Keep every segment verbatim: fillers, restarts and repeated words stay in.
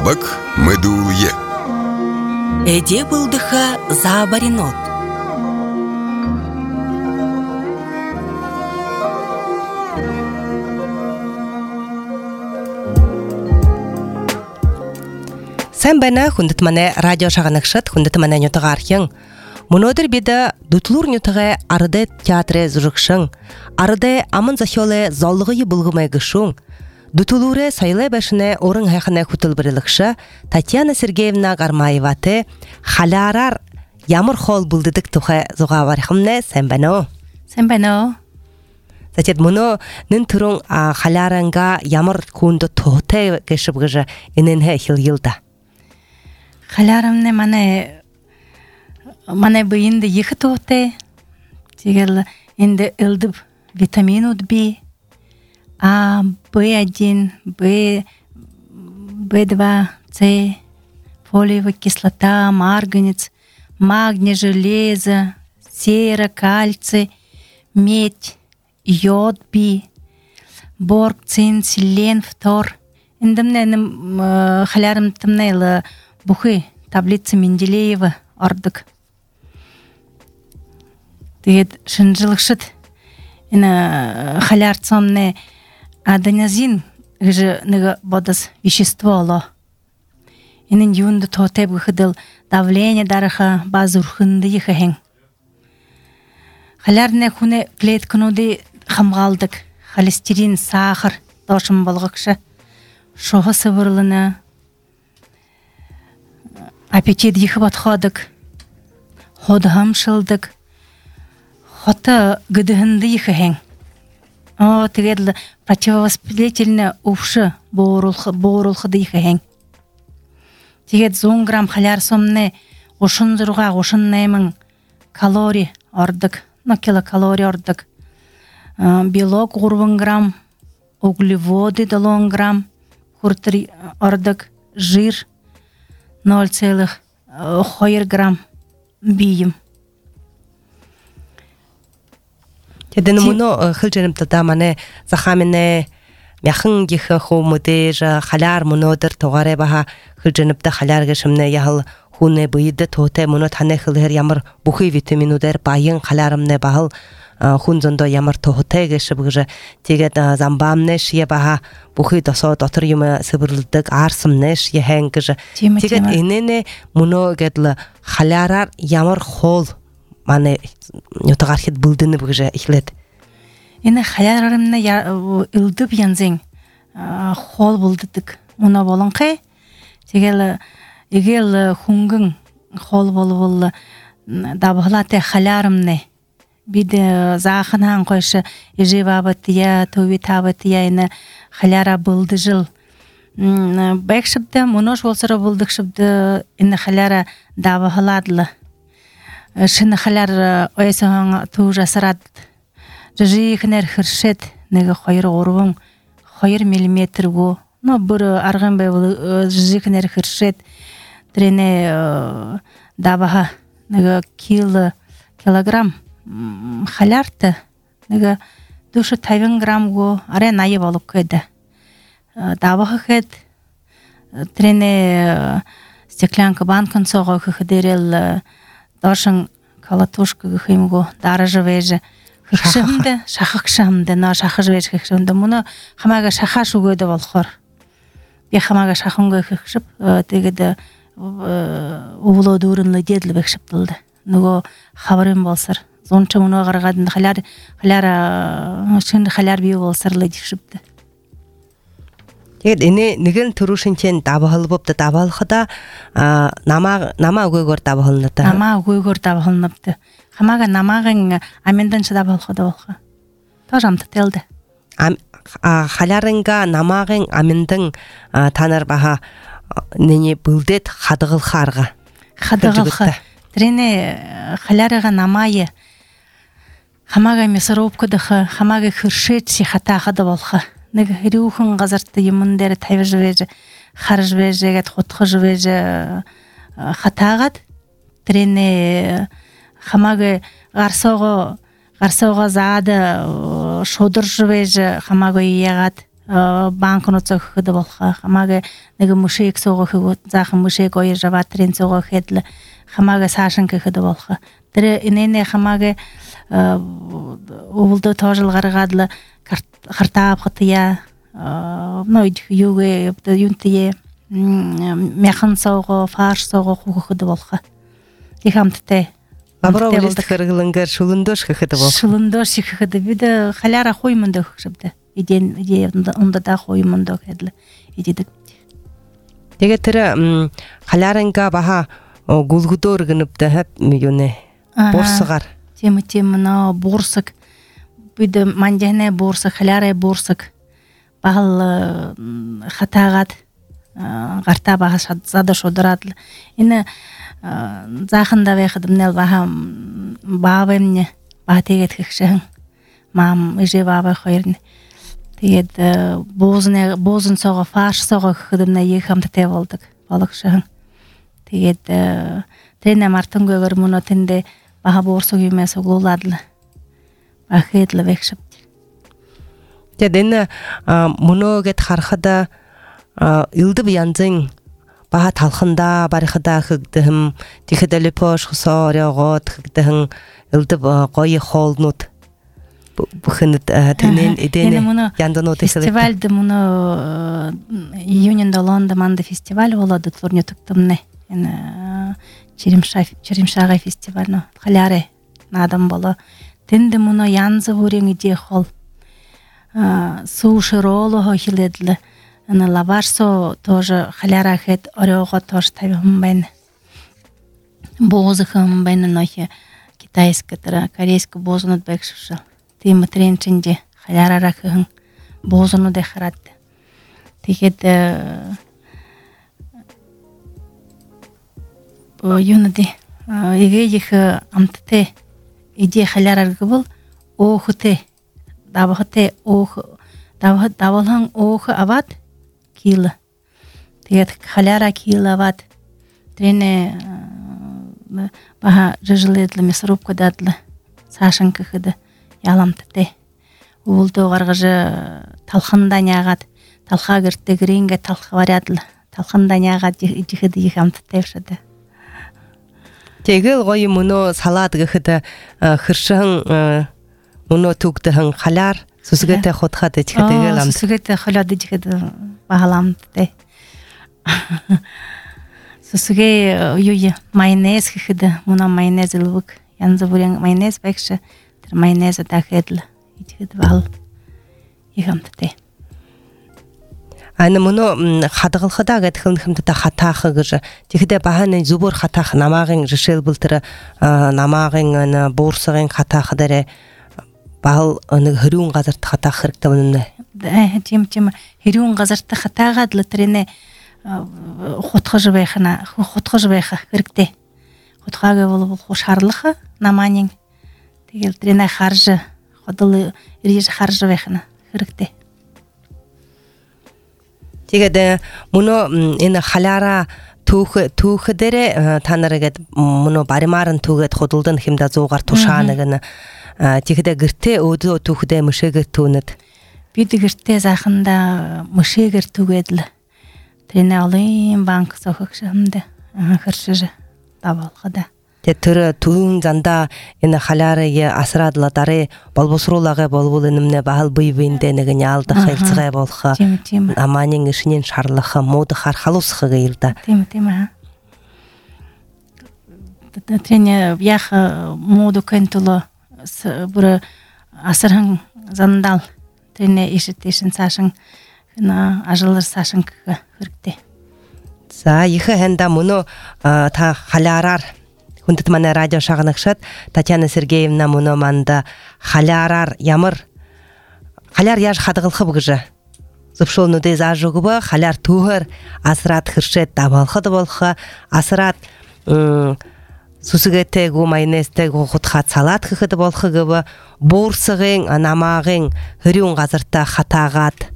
Табак медуле. Эде булдыха заабаринот. Sen bana hundet mane radyo şağınıkşat hundet mane nютыгархың. Мұнодыр беді дүтлур нютыға арыды театры зұрықшың, арыды амын захиолы заллығы бұлғымай гышың, дүтулуры сайлы бәшіне орын хайқына күтіл бірілікші Татьяна Сергеевна Гармаеваты халярар ямыр хол бұлдыдық тұға зұға барықымны сән бәні. Сән бәні. Затет мұны нын тұрың халяранға ямыр күнді тұғыты кешіп ғыжы ененге хил-елді. Халярымны маны Мана быйынды екі тоғыты, тегел енді үлдіп витамин ұдбі, А, бэ один, Б, бэ два, С, фолиевая кислота, марганец, магний, железо, сера, кальций, медь, йод, би, борг, цин, селен, фтор. Енді мына халярым тымнайлы бұхы таблица Менделеева ордық. Тегет шынжылықшыт, ина халярцомны аденозин гыжы ныга бодас вещество оло. Инин юнды тотеп гыхыдыл давление дарыха базы урхынды ехахен. Халярны хуны клеткануды хамгалдык, холестерин, сахар, дошым болғықшы, шоғы сывырлыны, аппетит ехы батходык, ходхам шылдык, Хота гыдыхынды ехахен. О, тегедлі противовоспалительны уфшы боғырулхыды ехахен. Тегед зон грамм халяр сомны ошын зұрға ошын наймын калори ордык, но килокалори ордык. Белок ғурвын грамм, углеводы далон грамм, хуртыр ордык, жир ноль целых пять грамм бейім. Теден мұны хылженім тұда маны захаміне мяхын гихы хумыды жа халяр мұнодыр тоғары баға хылженіпті халяр гешімні яғыл хуны бұйды тоты мұны таны хылғыр ямыр бұхы витаминудер байын халярымны бағыл хун зондо ямыр тоғыты гешіп ғыжы тегет замбамны шие баға бұхы досо дотыр юмы сыбырлдық арсымны шие хэн ғыжы тегет енені мұны гедлі халярар ямыр хол маны нютыгархет бұлдыны бұғыжа ихлет. Ені халярарымны үлдіп янзен хол бұлдыдық. Мұна болын қай? Тегел егел хунгын хол болы болы дабығылаты халярымны. Биді зағынан қойшы ежі бабытыя, төви табытыя ені халяра бұлды жыл. Бәк шыпды, мұнош болсыры бұлдық шыпды ені халяра дабығыладылы. Шыны халяр ойсоң туу жасырад. Жыжы хынер хыршет, неге қойыр орвың, қойыр миллиметр го. Но бір арғын бәй жыжы хынер хыршет, трене дабаға, неге кило, килограмм халярты, неге душы тайвын грамм го, арен айы болып көйді. Дабаға көйд, трене стеклянка банкын соға көйдерел Дошын калатушка гыхымго дары жывежі хықшымды, шақықшымды, но шақы жывежі хықшымды. Мұны хамага шақа шугөді болқыр. Бе хамага шақынғы хықшып, тегеді ұлы дұрынлы деділі бекшіп дылды. Нүгі хабарым болсыр. Зончы мұны ғарғадынды халяр, халяр, шынды халяр бейі болсырлы декшіпді. Тегет ені нігін тұрушынчен табығылы бопты табығылықыда нама өгөгөр табығылыныды. Нама өгөгөр табығылыныпты. Хамага намағын амендінші табығылықыда болғы. Тожамды телді. Халярынға намағын амендің таныр баға нені бүлдет қадығылқарға. Қадығылқы. Трене халярыға намайы хамага месіропкыдықы, хамага күршет сихатағыды болғы. Неге рюхын ғазарты еміндері тайвы жывежі, қар жывежі, құтқы жывежі қатағад. Трене хамағы ғарсоғы, ғарсоғы зады шодыр жывежі хамағы еғад банкнот хыды болха хамага неге мушек сого хыгот захын мушек ой жава трен сого хедле хамага сашынка хыды болха тире инене хамага улды тожыл гаргадлы картап хытыя нойд юге юнтие мяхан сого фарш сого хыды болха дихамтте Абра улист кыргылынгар шулындош хыды бол шулындош хыды биде халяра хоймунда хыжыбды иден иде онда да хоймунда хедле идедик Теге тире халярынга баха гулгудор гыныпты хеп юне борсыгар тема тема на борсык биде мандяне борсык халяра борсык бал хатагат гарта баха зада шодратлы ине захында вехдим нел баха бабемне батегет хишен мам иже баба хойрн тэгээд бозны бозын сого фарш сого хыдымна ехамты те болдук балыкшын тэгээд тене мартын гөгөр муно тенде баха борсуг юмес угуладлы бахетлы векшип Теден муно гет хархада илдып янзын баха талхында бархада хыгдым тихедели пош хсорягот хыгдым илдып гой холнут бухынт тенен идене яндано тесел фестивальде муно июньда Лонда манда фестиваль болады турне туктымне эне черемша черемшага фестиваль халяре надам боло тенде муно янзы бурен иде хол суши роло хиледле эне лавашсо тоже халяра хет орего тоже тавим бен бозыхым бен нохе китайская тара корейская бозунут бекшишал тем тренчинде халяра рахын бозуну де харат тигет юнди иге их амтте иде халяра гыбыл охте давхте ох давх давалхан ох ават кил тигет халяра кил ават трене баха жжиледле месрубка дадлы сашынка хыды яламтте улды гаргыжы талханданягат талха гертте гринге талха варядлы талханданягат жихиди ихамтте шады Tegel гой муно салат гыхыда хыршын муно туктыхын халяр сусгете хотхаты чигедегел ам сусгете халады жихиди багаламтте сусге юй майонез хыхыды муна майонез лук янзы бурен майонез бекши майонеза дахедл ичид бал ихамтте аны муно хадгалхада гэтхэн хэмтэ хатаах гэж тэгэхдээ баханы зүбөр хатаах намаагын жишэл бултэр намаагын ана буурсагын хатаах дээрэ бал нэг хөрүүн газарт хатаах хэрэгтэй үнэ тийм тийм хөрүүн газарт хатаагаад л тэрнэ хутгаж байхна хутгаж байх хэрэгтэй хутгааг бол хушаарлах намаанин тэгэл тэрнэ харж ходол ирж харж байхна хэрэгтэй тэгээд муно энэ халяра түүх түүх дээрэ та нарыгэд муно баримаар нь түүгээд худалдан хэмдэ зуугаар тушаана гэнэ тэгэхдээ гэртээ өөдөө түүхдээ мөшөөгөр түүнэд бид гэртээ зааханда мөшөөгөр түүгээд л тэрнэ олон банк сохогшамдэ харшиж давалхада тэр түүн занда энэ халярыг асраадлаа дараа болбосруулаагаа болвол энэмнэ баал бийвэндэ нэг нь алдах хэлцгээ болох амаанин ишнийн шарлах мод хархалуусхаг илда тийм тийм аа тэтэне яг мод кентуло бүр асархан зандал тэне ишэтэшин цаашин на ажлар цаашин хэрэгтэй за ихэ хэнда мөнө та халяраар хүндэт манай радио шагнагшат Татьяна Сергеевна мөнө манда халяраар ямар халяр яаж хадгалах гэж зөвшөөрнүүдээ зааж өгвө халяр түүхээр асраад хэршээд давалхад болох асраад сүсгэтэй гоо майонезтэй гоо хутгаа салат гэхэд болох гэв буурсагын намаагын хөрүүн газартаа хатаагаад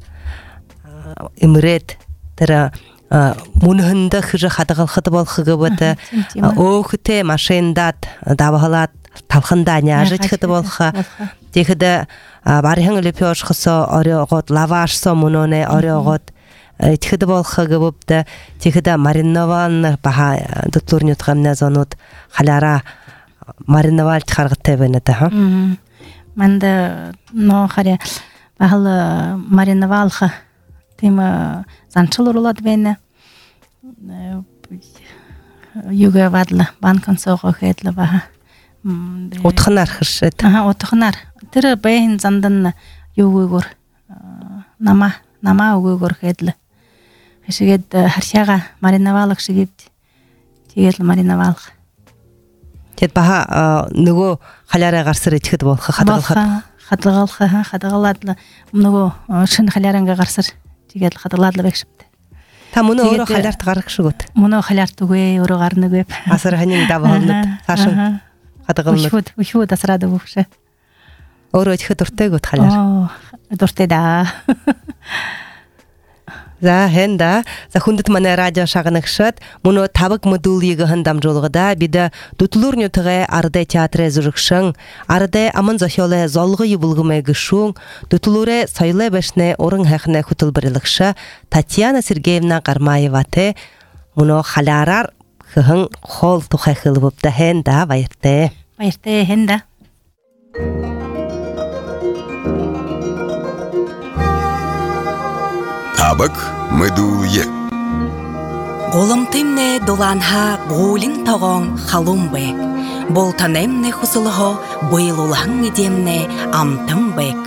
эмрээд тэр мөнхөндө хэр хадгалахад болох гэвэт өөхтэй машиндад давхалаад талхандаа няажчихд болох тэгэхэд барыхан лепеш хосо орёгот лавашсо муноне орёгот тихэдэ болхо гэвэбдэ тихэдэ маринован баха дутлурнют гамна зонут халара мариновал тхаргатэ бэнэдэ ха манда но харе бахал мариновалха тема занчылурлат бэне юга вадла банкан сого хэдла баха утхнар хэршэт аха утхнар тэр бэйн зандан юугөр нама нама угөр хэдла хэшгээд харшаага мариновалах шигэд тэгэл мариновалах тэд баха нөгөө халаараа гарсаар итгэхэд болох хадгалахад хадгалах хадгалаад нөгөө шин халааранга гарсаар тэгэл хадгалаад л байгшвэ та мөнөө өөрөө халаарт гарах шиг үт мөнөө халаарт үгүй өөрөө гарна үгүй асар ханин давхолнод цаашаа хадгална өшүүд өшүүд асраад өгөш өөрөө итгэхэд дуртай гот халаар дуртай да за хэнда за хүндэт манай радио шагнагшат мөнөө тавг модулийг хандамжуулгада бид дутлуурнютгээ арда театрэ зүрхшэн арда аман зохиолэ золгой булгымэ гшүүн дутлуурэ соёлэ башнэ уран хайхнэ хөтөлбөрлөгшө Татьяна Сергеевна Гармаевате мөнөө халаараар хэн хоол тухай хэлбэвдэ хэнда баяртай баяртай хэнда Табак мэдүүе. Голомтымне доланха гулин тогон халумбек. Болтанемне хусулхо бойлулхан идемне амтамбек.